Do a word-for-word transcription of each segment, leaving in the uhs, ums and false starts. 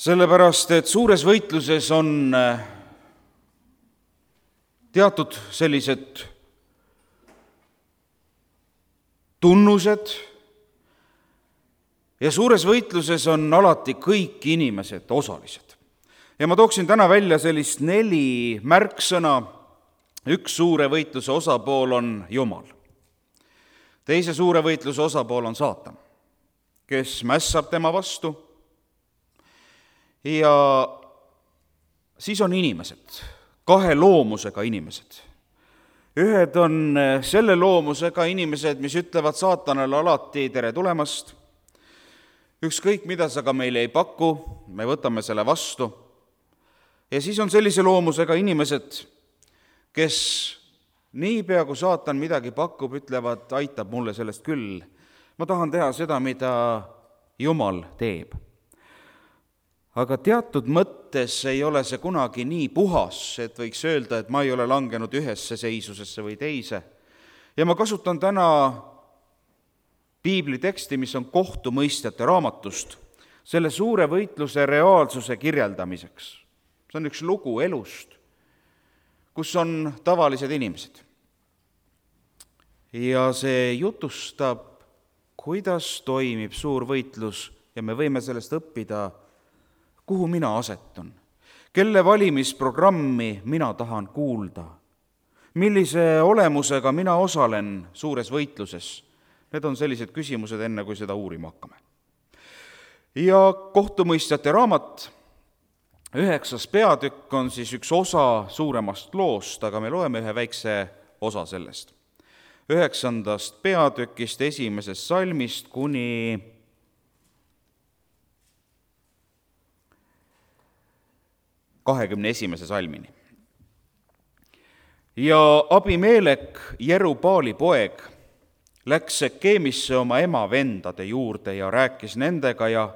Sellepärast, et suures võitluses on teatud sellised tunnused ja suures võitluses on alati kõik inimesed osalised. Ja ma tooksin täna välja sellist neli märksõna. Üks suure võitluse osapool on Jumal. Teise suure võitluse osapool on saatan, kes mässab tema vastu. Ja siis on inimesed, kahe loomusega inimesed. Ühed on selle loomusega inimesed, mis ütlevad saatanale alati tere tulemast. Ükskõik, mida sa ka meile ei paku, me võtame selle vastu. Ja siis on sellise loomusega inimesed, kes niipea kui saatan midagi pakub, ütlevad, aitab mulle sellest küll. Ma tahan teha seda, mida Jumal teeb. Aga teatud mõttes ei ole see kunagi nii puhas, et võiks öelda, et ma ei ole langenud ühesse seisusesse või teise. Ja ma kasutan täna piibli teksti, mis on kohtumõistjate raamatust, selle suure võitluse reaalsuse kirjeldamiseks. See on üks lugu elust, kus on tavalised inimesed. Ja see jutustab, kuidas toimib suur võitlus ja me võime sellest õppida, kuhu mina asetun, kelle valimisprogrammi mina tahan kuulda, millise olemusega mina osalen suures võitluses. Need on sellised küsimused enne, kui seda uurima hakkame. Ja kohtumõistjate raamat, üheksas peatükk on siis üks osa suuremast loost, aga me loeme ühe väikse osa sellest. Üheksandast peatükist esimesest salmist kuni kahekümne esimese salmini. Ja Abimelek, Jerubaali poeg, läks Sekeemisse oma ema vendade juurde ja rääkis nendega ja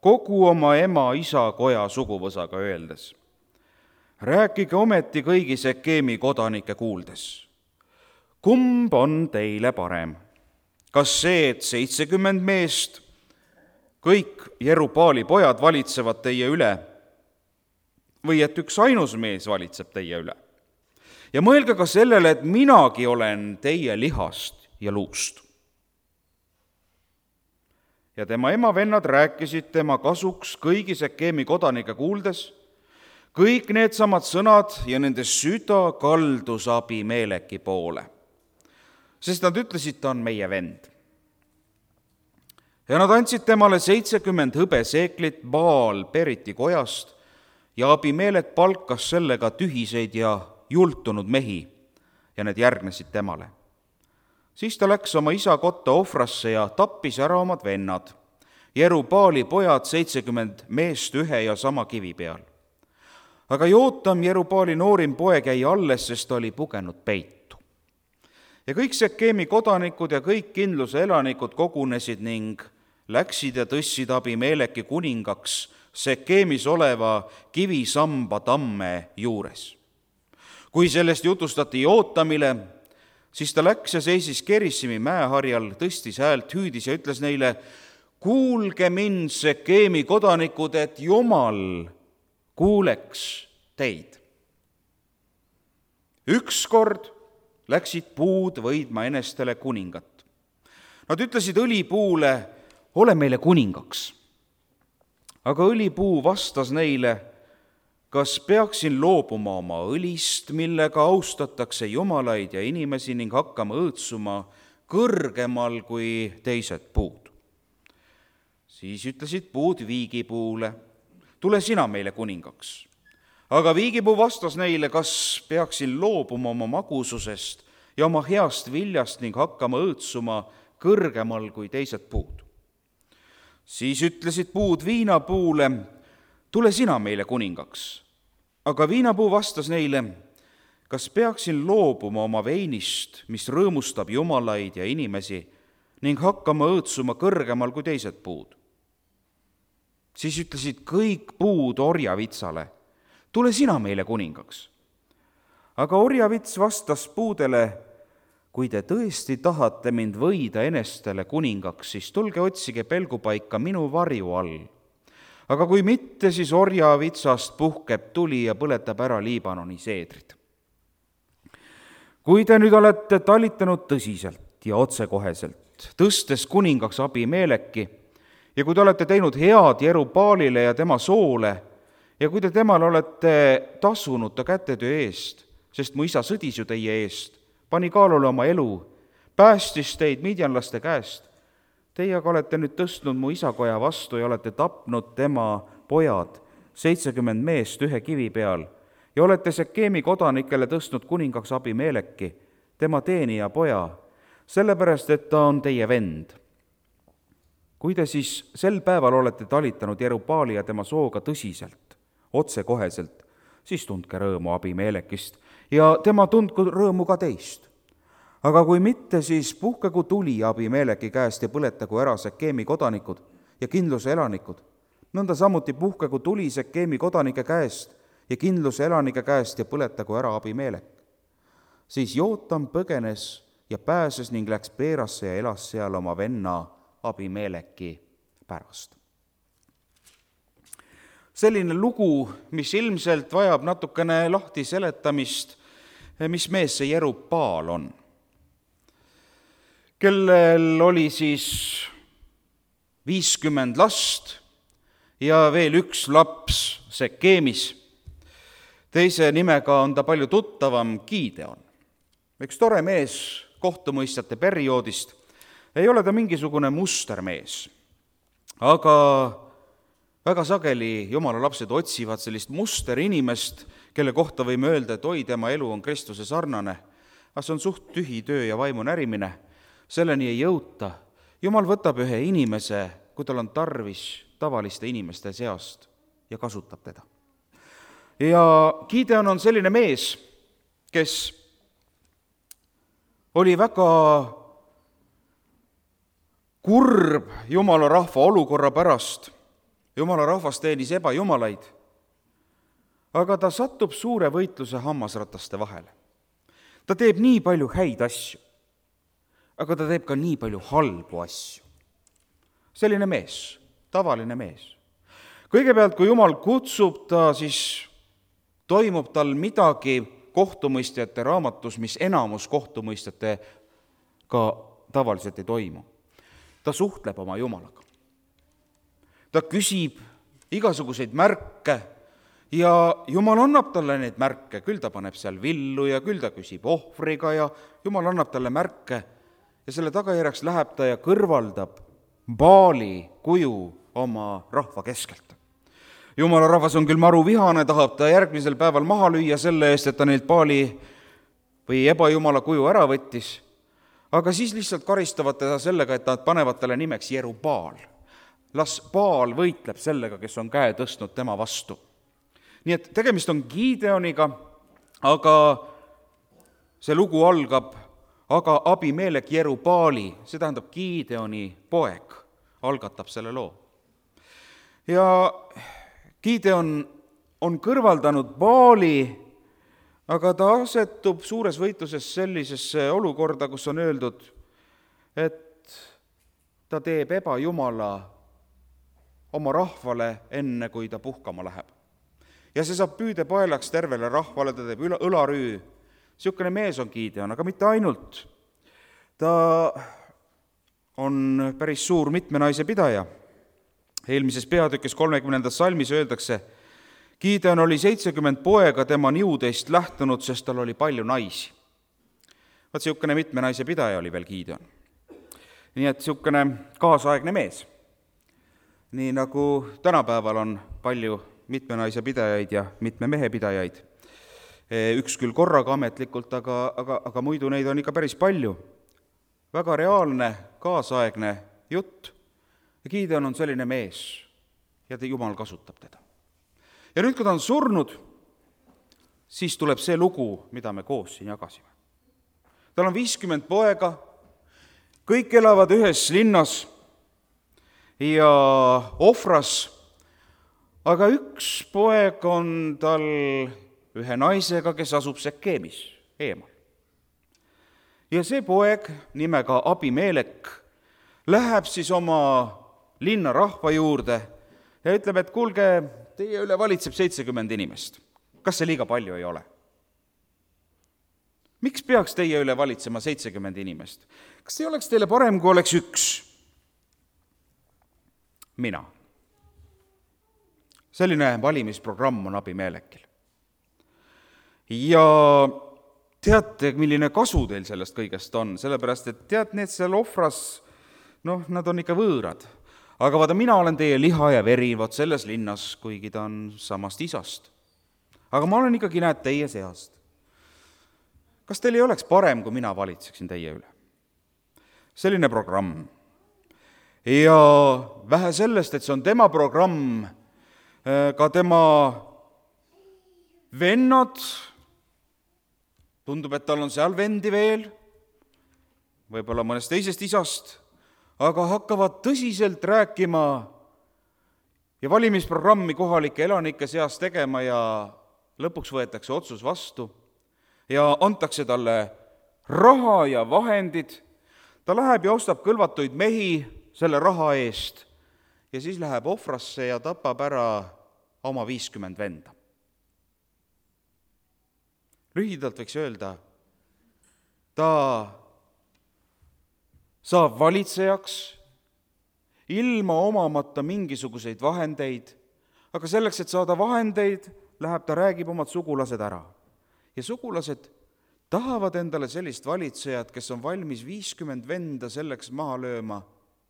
kogu oma ema isa koja suguvõsaga öeldes. Rääkige ometi kõigi Sekeemi kodanike kuuldes. Kumb on teile parem? Kas see, et seitsekümmend meest, kõik Jerubaali pojad valitsevad teie üle, või et üks ainus mees valitseb teie üle? Ja mõelge ka sellele, et minagi olen teie lihast ja luust. Ja tema ema vennad rääkisid tema kasuks kõigi Sekeemi kodanike kuuldes, kõik need samad sõnad ja nende süda kaldus Abimeleki poole, sest nad ütlesid, ta on meie vend. Ja nad andsid temale seitsekümmend hõbeseeklit Baal Periti kojast ja Abimelek palkas sellega tühiseid ja jultunud mehi ja need järgnesid temale. Siis ta läks oma isa kotta Ofrasse ja tappis ära omad vennad, Jerubaali pojad seitsekümmend meest ühe ja sama kivi peal. Aga Jootam, Jerubaali noorim poeg, jäi alles, sest ta oli pugenud peitu. Ja kõik Sekeemi kodanikud ja kõik kindluse elanikud kogunesid ning läksid ja tõssid Abimeleki kuningaks Sekeemis oleva kivisamba tamme juures. Kui sellest jutustati Jootamile, siis ta läks ja seisis Kerissimi mäeharjal, tõstis häält, hüüdis ja ütles neile, kuulge mind, Sekeemi kodanikud, et Jumal kuuleks teid. Ükskord läksid puud võidma enestele kuningat. Nad ütlesid õlipuule, ole meile kuningaks. Aga õlipuu vastas neile, kas peaksin loobuma oma õlist, millega austatakse jumalaid ja inimesi ning hakkama õõtsuma kõrgemal kui teised puud. Siis ütlesid puud viigipuule, tule sina meile kuningaks. Aga viigipuu vastas neile, kas peaksin loobuma oma magususest ja oma heast viljast ning hakkama õõtsuma kõrgemal kui teised puud. Siis ütlesid puud viinapuule, tule sina meile kuningaks. Aga viinapuu vastas neile, kas peaksin loobuma oma veinist, mis rõõmustab jumalaid ja inimesi, ning hakkama õõtsuma kõrgemal kui teised puud. Siis ütlesid kõik puud orjavitsale, tule sina meile kuningaks. Aga orjavits vastas puudele, kui te tõesti tahate mind võida enestele kuningaks, siis tulge otsige pelgupaika minu varju all. aga kui mitte, siis orjavitsast puhkeb tuli ja põletab ära Liibanoni seedrid. Kui te nüüd olete talitanud tõsiselt ja otsekoheselt, tõstes kuningaks Abimeleki, ja kui te olete teinud head Jerubaalile ja tema soole, ja kui te temale olete tasunud ta kätetöö eest, sest mu isa sõdis ju teie eest, pani kaalule oma elu, päästis teid midjanlaste käest, teie aga olete nüüd tõstnud mu isakoja vastu ja olete tapnud tema pojad, seitsekümmend meest ühe kivi peal, ja olete Sekeemi kodanikele tõstnud kuningaks Abimeleki, tema teenija poja, sellepärast, et ta on teie vend. Kui te siis sel päeval olete talitanud Jerubaali ja tema sooga tõsiselt, otsekoheselt, siis tundke rõõmu Abimelekist ja tema tundku rõõmu ka teist. Aga kui mitte, siis puhkegu tuli Abimeleki käest ja põletagu ära Sekeemi kodanikud ja kindluse elanikud. Nõnda samuti puhkegu tuli Sekeemi kodanike käest ja kindluse elanike käest ja põletagu ära Abimelek. Siis Jootam põgenes ja pääses ning läks Peerasse ja elas seal oma venna Abimeleki pärast. Selline lugu, mis ilmselt vajab natukene lahti seletamist, mis mees see Jerubaal on, kellel oli siis viiskümmend last ja veel üks laps Sekeemis. Teise nimega on ta palju tuttavam Gideon. Üks tore mees kohtumõistjate perioodist. Ei ole ta mingisugune mustermees, aga väga sageli jumala lapsed otsivad sellist musterinimest, kelle kohta võime öelda, et oi, tema elu on Kristuse sarnane, aga see on suht tühi töö ja vaimu närimine. Selleni ei jõuta. Jumal võtab ühe inimese, kui tal on tarvis tavaliste inimeste seast ja kasutab teda. Ja Gideon on selline mees, kes oli väga kurb jumala rahva olukorra pärast. Jumala rahvas teenis ebajumalaid, aga ta satub suure võitluse hammasrataste vahele. Ta teeb nii palju häid asju, aga ta teeb ka nii palju halbu asju. Selline mees, tavaline mees. Kõigepealt, kui Jumal kutsub ta, siis toimub tal midagi kohtumõistjate raamatus, mis enamus kohtumõistjate ka tavaliselt ei toimu. Ta suhtleb oma Jumalaga. Ta küsib igasuguseid märke ja Jumal annab talle neid märke, küll ta paneb seal villu ja küll ta küsib ohvriga ja Jumal annab talle märke ja selle tagajärjeks läheb ta ja kõrvaldab Baali kuju oma rahva keskelt. Jumala rahvas on küll maru vihane, tahab ta järgmisel päeval maha lüüa selle eest, et ta neilt Baali või ebajumala kuju ära võttis, aga siis lihtsalt karistavad teda sellega, et nad panevad talle nimeks Jerubaal. Las Baal võitleb sellega, kes on käe tõstnud tema vastu. Nii et tegemist on Gideoniga, aga see lugu algab, aga Abimelek Jerubaali, see tähendab Gideoni poeg, algatab selle loo. Ja Gideon on kõrvaldanud Baali, aga ta asetub suures võitluses sellisesse olukorda, kus on öeldud, et ta teeb ebajumala oma rahvale enne, kui ta puhkama läheb. Ja see saab püüde paelaks tervele rahvale, ta teeb õlarüü. Siukene mees on Gideon, aga mitte ainult. Ta on päris suur mitme naise pidaja. Eelmises peatükis kolmekümnendas salmis öeldakse, Gideon oli seitsekümmend poega tema niudeist lähtunud, sest tal oli palju naisi. Vaat siukene mitme naise pidaja oli veel Gideon. Nii et siukene kaasaegne mees. Nii nagu tänapäeval on palju mitme naise pidajaid ja mitme mehe pidajaid. Üks küll korraga ametlikult, aga, aga, aga muidu neid on ikka päris palju. Väga reaalne, kaasaegne jutt. Ja Gideon on selline mees ja Jumal kasutab teda. Ja nüüd, kui ta on surnud, siis tuleb see lugu, mida me koos siin jagasime. Tal on viiskümmend poega, kõik elavad ühes linnas ja Ofras, aga üks poeg on tal ühe naisega, kes asub Sekeemis eemal. Ja see poeg nimega Abimelek läheb siis oma linna rahva juurde ja ütleb, et kuulge, teie üle valitseb seitsekümmend inimest. Kas see liiga palju ei ole? Miks peaks teie üle valitsema seitsekümmend inimest? Kas ei oleks teile parem, kui oleks üks? Mina. Selline valimisprogramm on Abimelekil. Ja teate, milline kasu teil sellest kõigest on, sellepärast, et tead, need seal ohvras, noh, nad on ikka võõrad. Aga vaata, mina olen teie liha ja veri, vot selles linnas, kuigi ta on samast isast. Aga ma olen ikkagi, näed, teie seast. Kas teil ei oleks parem, kui mina valitseksin teie üle? Selline programm. Ja vähe sellest, et see on tema programm, ka tema vennad, tundub, et tal on seal vendi veel, võib-olla mõnest teisest isast, aga hakkavad tõsiselt rääkima ja valimisprogrammi kohalike elanike seas tegema ja lõpuks võetakse otsus vastu ja antakse talle raha ja vahendid. Ta läheb ja ostab kõlvatuid mehi selle raha eest ja siis läheb ohvrasse ja tapab ära oma viiskümmend venda. Lühidalt võiks öelda, ta saab valitsejaks ilma omamata mingisuguseid vahendeid, aga selleks, et saada vahendeid, läheb ta, räägib omad sugulased ära. Ja sugulased tahavad endale sellist valitsejat, kes on valmis viiskümmend venda selleks maha lööma,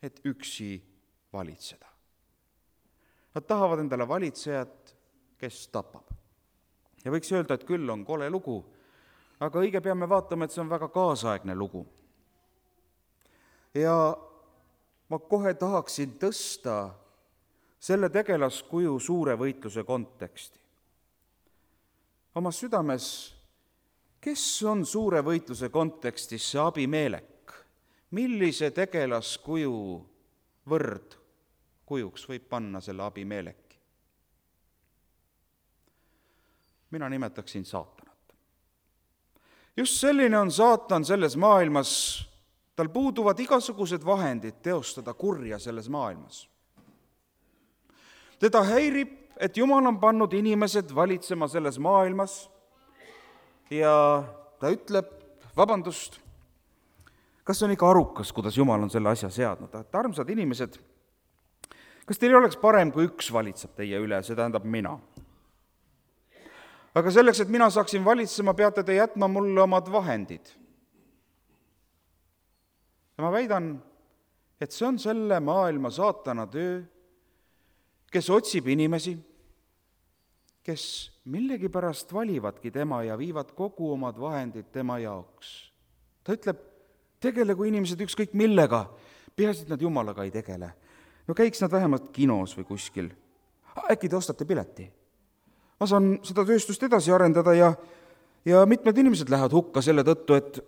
et üksi valitseda. Nad tahavad endale valitsejat, kes tapab. Ja võiks öelda, et küll on kole lugu, aga õige peame vaatama, et see on väga kaasaegne lugu. Ja ma kohe tahaksin tõsta selle tegelaskuju suure võitluse konteksti. Oma südames, kes on suure võitluse kontekstis see Abimelek? Millise tegelaskuju võrdkujuks võib panna selle Abimeleki? Mina nimetaksin saatanat. Just selline on saatan selles maailmas. Tal puuduvad igasugused vahendid teostada kurja selles maailmas. Teda häirib, et Jumal on pannud inimesed valitsema selles maailmas ja ta ütleb, vabandust, kas on ikka arukas, kuidas Jumal on selle asja seadnud? Et armsad inimesed, kas teil oleks parem, kui üks valitseb teie üle, see tähendab mina? Aga selleks, et mina saaksin valitsema, peate te jätma mulle omad vahendid. Ja ma väidan, et see on selle maailma saatana töö, kes otsib inimesi, kes millegipärast valivadki tema ja viivad kogu omad vahendid tema jaoks. Ta ütleb, tegelegu inimesed ükskõik millega, peaasi, et nad Jumalaga ei tegele. No käiks nad vähemalt kinos või kuskil. Äkki te ostate pileti? Ma saan seda tööstust edasi arendada ja, ja mitmed inimesed lähevad hukka selle tõttu, et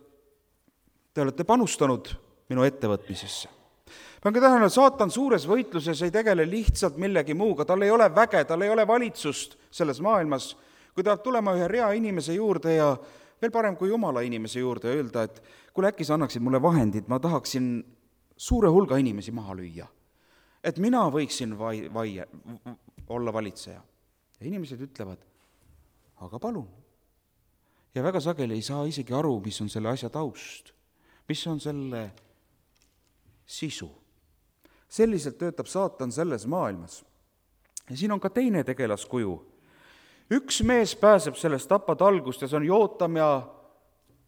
te olete panustanud minu ettevõtmisesse. Pange tähele, saatan suures võitluses ei tegele lihtsalt millegi muuga, tal ei ole väge, tal ei ole valitsust selles maailmas. Kui ta tulema ühe rea inimese juurde ja veel parem kui Jumala inimese juurde öelda, et kuule, äkki sa annaksid mulle vahendid, ma tahaksin suure hulga inimesi maha lüüa. Et mina võiksin vai, vai, olla valitseja. Ja inimesed ütlevad, aga palun. Ja väga sageli ei saa isegi aru, mis on selle asja taust, mis on selle sisu. Selliselt töötab saatan selles maailmas. Ja siin on ka teine tegelaskuju. Üks mees pääseb sellest tapatalgust ja see on Jootam ja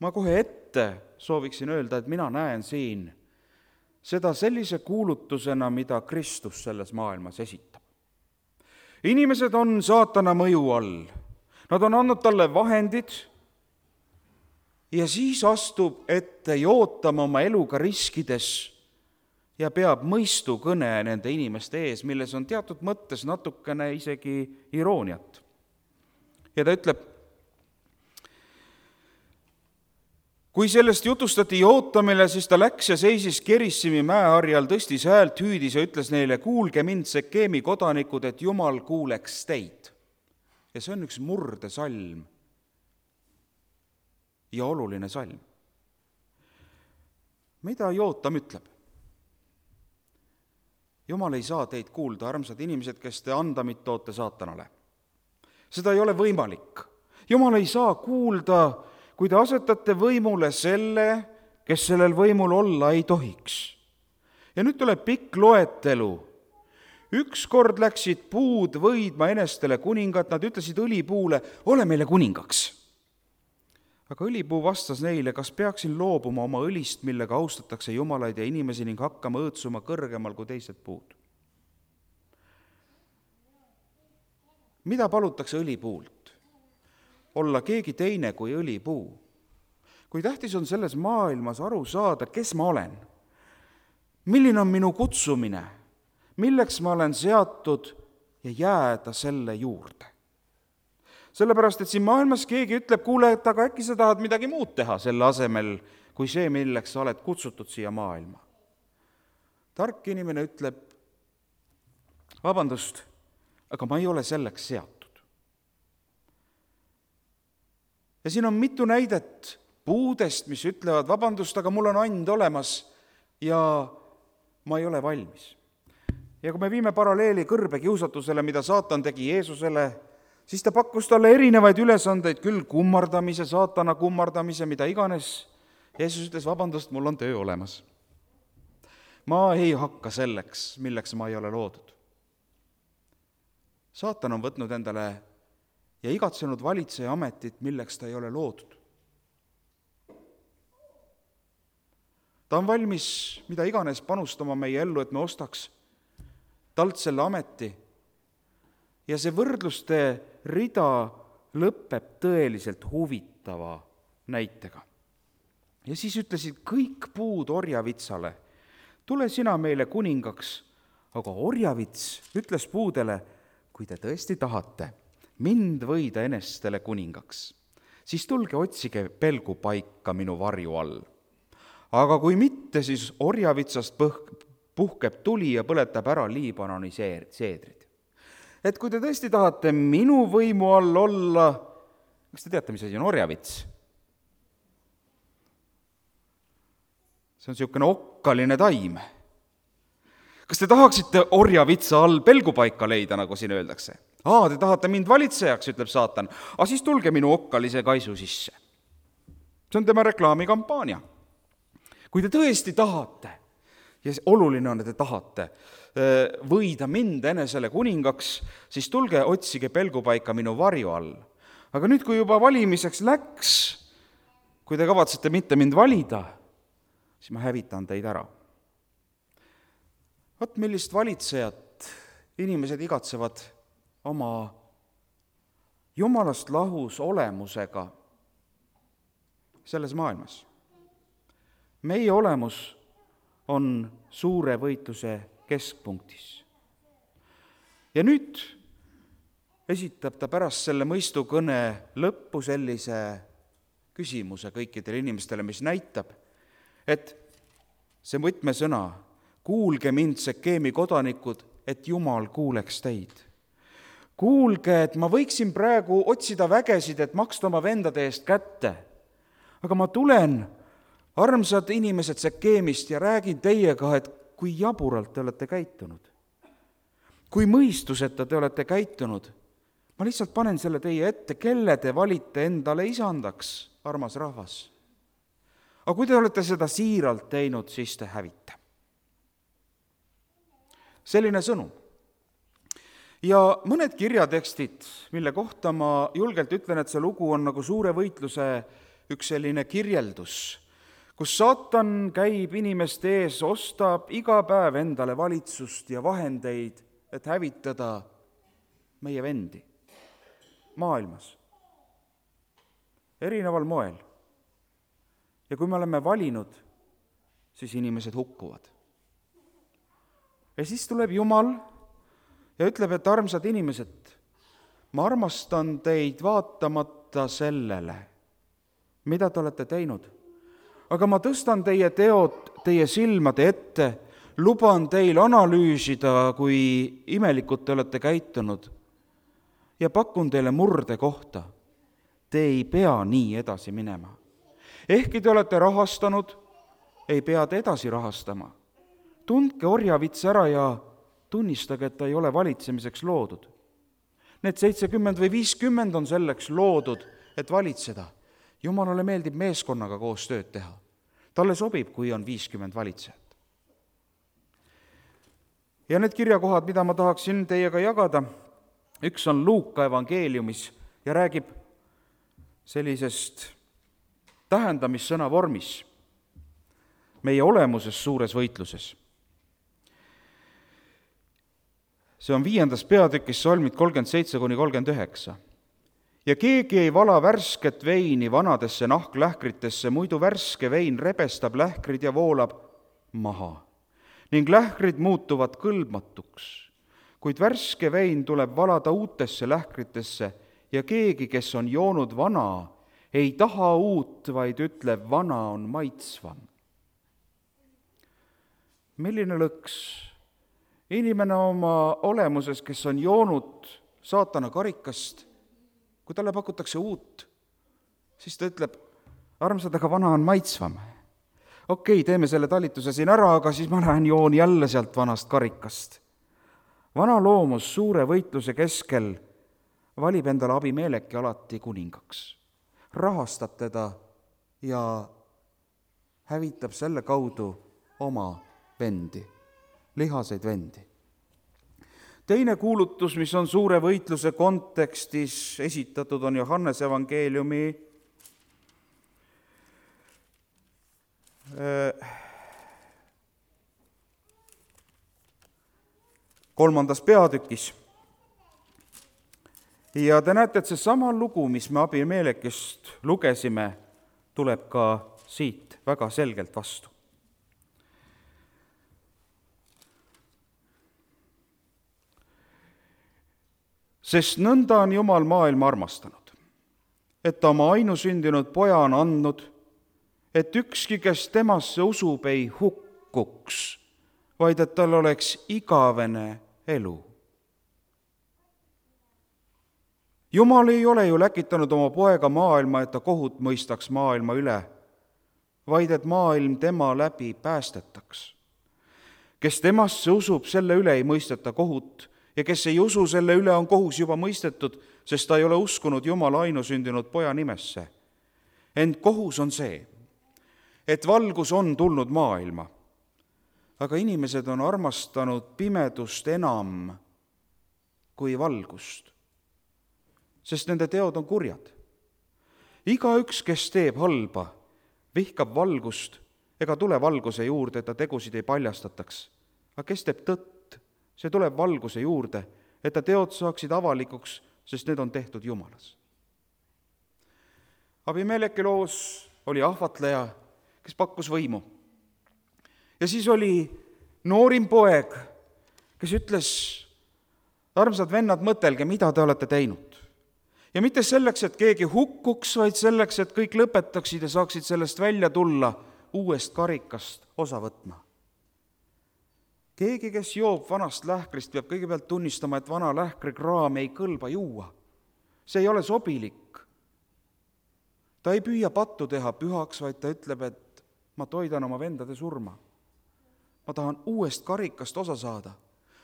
ma kohe ette sooviksin öelda, et mina näen siin seda sellise kuulutusena, mida Kristus selles maailmas esitab. Inimesed on saatana mõju all. Nad on andnud talle vahendid ja siis astub ette Jootam oma eluga riskides ja peab mõistu kõne nende inimeste ees, milles on teatud mõttes natukene isegi irooniat. Ja ta ütleb, kui sellest jutustati Jootamile, siis ta läks ja seisis Kerissimi mäeharjal, tõstis häält, hüüdis ja ütles neile, kuulge mind, Sekeemi kodanikud, et Jumal kuuleks teid. Ja see on üks murdesalm ja oluline salm. Mida Jootam ütleb? Jumal ei saa teid kuulda, armsad inimesed, kes te andamit toote saatanale. Seda ei ole võimalik. Jumal ei saa kuulda, kui te asetate võimule selle, kes sellel võimul olla ei tohiks. Ja nüüd tuleb pikk loetelu. Ükskord läksid puud võidma enestele kuningat, nad ütlesid õlipuule, ole meile kuningaks. Aga õlipuu vastas neile, kas peaksin loobuma oma õlist, millega austatakse jumalaid ja inimesi ning hakkama õõtsuma kõrgemal kui teised puud. Mida palutakse õlipuult? Olla keegi teine kui õlipuu. Kui tähtis on selles maailmas aru saada, kes ma olen, milline on minu kutsumine, milleks ma olen seatud ja jääda selle juurde. Sellepärast, et siin maailmas keegi ütleb, kuule, et aga äkki sa tahad midagi muud teha selle asemel, kui see, milleks sa oled kutsutud siia maailma. Tark inimene ütleb, vabandust, aga ma ei ole selleks seatud. Ja siin on mitu näidet puudest, mis ütlevad, vabandust, aga mul on and olemas ja ma ei ole valmis. Ja kui me viime paralleeli kõrbekiusatusele, mida saatan tegi Jeesusele, siis ta pakkus talle erinevaid ülesandeid, küll kummardamise, saatana kummardamise, mida iganes. Jeesus ütles, vabandust, mul on töö olemas. Ma ei hakka selleks, milleks ma ei ole loodud. Saatan on võtnud endale ja igatsenud valitseja ametit, milleks ta ei ole loodud. Ta on valmis mida iganes panustama meie ellu, et me ostaks talt selle ameti. Ja see võrdluste rida lõpeb tõeliselt huvitava näitega. Ja siis ütlesid kõik puud orjavitsale, tule sina meile kuningaks, aga orjavits ütles puudele, kui te tõesti tahate mind võida enestele kuningaks, siis tulge otsige pelgupaika minu varju all. Aga kui mitte, siis orjavitsast puhkeb tuli ja põletab ära Liibanoni seedrid. Et kui te tõesti tahate minu võimu all olla, kas te teate, mis asi on orjavits? See on niisugune okkaline taim. Kas te tahaksite orjavitsa all pelgupaika leida, nagu siin öeldakse? Aa, te tahate mind valitsejaks, ütleb saatan, aga siis tulge minu okkalise kaisu sisse. See on tema reklaamikampaania. Kui te tõesti tahate, ja oluline on, et te tahate võida mind enesele kuningaks, siis tulge otsige pelgupaika minu varju all. Aga nüüd, kui juba valimiseks läks, kui te kavatsete mitte mind valida, siis ma hävitan teid ära. Vaat millist valitsejat inimesed igatsevad oma jumalast lahus olemusega selles maailmas. Meie olemus on suure võitluse keskpunktis. Ja nüüd esitab ta pärast selle mõistukõne lõppu sellise küsimuse kõikidele inimestele, mis näitab, et see võtmesõna, kuulge mind, Sekeemi kodanikud, et Jumal kuuleks teid. Kuulge, et ma võiksin praegu otsida vägesid, et maksta oma vendade eest kätte, aga ma tulen, armsad inimesed Sekeemist, ja räägin teiega, et kui jaburalt te olete käitunud, kui mõistuseta te olete käitunud, ma lihtsalt panen selle teie ette, kelle te valite endale isandaks, armas rahvas. Aga kui te olete seda siiralt teinud, siis te hävite. Selline sõnum. Ja mõned kirjatekstid, mille kohta ma julgelt ütlen, et see lugu on nagu suure võitluse üks selline kirjeldus, kus saatan käib inimeste ees, ostab iga päev endale valitsust ja vahendeid, et hävitada meie vendi maailmas. Erineval moel. Ja kui me oleme valinud, siis inimesed hukkuvad. Ja siis tuleb Jumal ja ütleb, et armsad inimesed, ma armastan teid vaatamata sellele, mida te olete teinud. Aga ma tõstan teie teod teie silmade ette, luban teil analüüsida, kui imelikult te olete käitunud ja pakun teile murde kohta. Te ei pea nii edasi minema. Ehkki te olete rahastanud, ei pea te edasi rahastama. Tundke orjavits ära ja tunnistage, et ta ei ole valitsemiseks loodud. Need seitsekümmend või viiskümmend on selleks loodud, et valitseda. Jumalale meeldib meeskonnaga koos tööd teha. Talle sobib, kui on viiskümmend valitsejat. Ja need kirjakohad, mida ma tahaksin teiega jagada, üks on Luuka evangeeliumis ja räägib sellisest tähendamissõna vormis meie olemuses suures võitluses. See on viiendas peatükis salmid kolmkümmend seitse kuni kolmkümmend üheksa. Ja keegi ei vala värsket veini vanadesse nahklähkritesse, muidu värske vein rebestab lähkrid ja voolab maha ning lähkrid muutuvad kõlbmatuks. Kuid värske vein tuleb valada uutesse lähkritesse ja keegi, kes on joonud vana, ei taha uut, vaid ütleb, vana on maitsvam. Milline lõks? Inimene oma olemuses, kes on joonud saatana karikast, kui talle pakutakse uut, siis ta ütleb, armsad, aga vana on maitsvam. Okei, teeme selle talituse siin ära, aga siis ma lähen joon jälle sealt vanast karikast. Vana loomus suure võitluse keskel valib endale Abimeleki alati kuningaks, rahastab teda ja hävitab selle kaudu oma vendi, lihaseid vendi. Teine kuulutus, mis on suure võitluse kontekstis esitatud, on Johannes evangeeliumi kolmandas peatükis. Ja te näete, et see sama lugu, mis me Abimelekist lugesime, tuleb ka siit väga selgelt vastu. Sest nõnda on Jumal maailma armastanud, et ta oma ainusündinud poja on andnud, et ükski, kes temasse usub, ei hukkuks, vaid et tal oleks igavene elu. Jumal ei ole ju läkitanud oma poega maailma, et ta kohut mõistaks maailma üle, vaid et maailm tema läbi päästetaks. Kes temasse usub, selle üle ei mõisteta kohut, ja kes ei usu, selle üle on kohus juba mõistetud, sest ta ei ole uskunud Jumala ainusündinud poja nimesse. Ent kohus on see, et valgus on tulnud maailma, aga inimesed on armastanud pimedust enam kui valgust, sest nende teod on kurjad. Igaüks, kes teeb halba, vihkab valgust ega tule valguse juurde, et ta tegusid ei paljastataks. Aga kes teeb tõtt, see tuleb valguse juurde, et ta teod saaksid avalikuks, sest need on tehtud Jumalas. Abimeleki loos oli ahvatleja, kes pakkus võimu. Ja siis oli noorim poeg, kes ütles, armsad vennad, mõtelge, mida te olete teinud. Ja mitte selleks, et keegi hukkuks, vaid selleks, et kõik lõpetaksid ja saaksid sellest välja tulla uuest karikast osa võtma. Keegi, kes joob vanast lähkrist, peab kõigepealt tunnistama, et vana lähkrikraam ei kõlba juua. See ei ole sobilik. Ta ei püüa pattu teha pühaks, vaid ta ütleb, et ma toidan oma vendade surma. Ma tahan uuest karikast osa saada.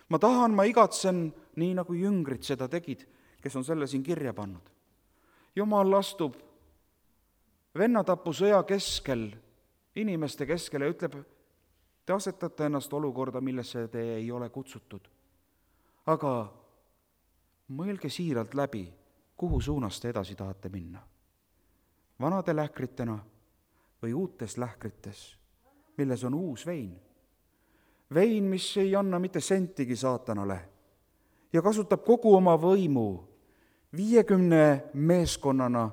Ma tahan, ma igatsen, nii nagu jüngrid seda tegid, kes on selle siin kirja pannud. Jumal astub vennatapu sõja keskel, inimeste keskel ja ütleb, te asetate ennast olukorda, millesse te ei ole kutsutud. Aga mõelge siiralt läbi, kuhu suunas te edasi tahate minna. Vanade lähkritena või uutes lähkrites, milles on uus vein. Vein, mis ei anna mitte sentigi saatanale ja kasutab kogu oma võimu viiekümne meeskonnana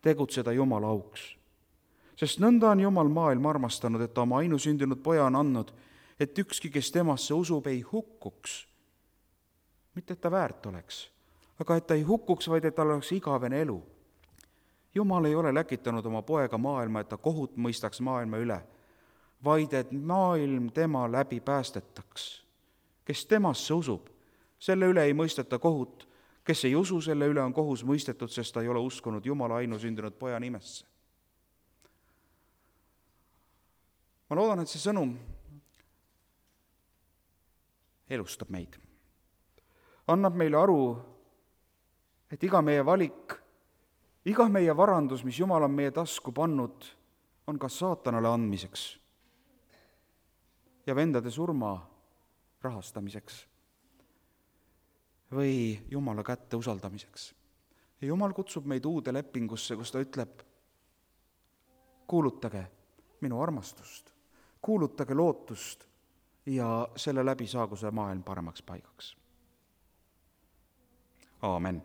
tegutseda Jumala auks. Sest nõnda on Jumal maailma armastanud, et ta oma ainusündinud poja on andnud, et ükski, kes temasse usub, ei hukkuks. Mitte, et ta väärt oleks, aga et ta ei hukkuks, vaid et tal oleks igavene elu. Jumal ei ole läkitanud oma poega maailma, et ta kohut mõistaks maailma üle, vaid et maailm tema läbi päästetaks. Kes temasse usub, selle üle ei mõisteta kohut, kes ei usu, selle üle on kohus mõistetud, sest ta ei ole uskunud Jumala ainusündinud poja nimesse. Ma loodan, et see sõnum elustab meid. Annab meile aru, et iga meie valik, iga meie varandus, mis Jumal on meie tasku pannud, on kas saatanale andmiseks ja vendade surma rahastamiseks või Jumala kätte usaldamiseks. Ja Jumal kutsub meid uude lepingusse, kus ta ütleb, kuulutage minu armastust, kuulutage lootust ja selle läbi saagu see maailm paremaks paigaks. Aamen.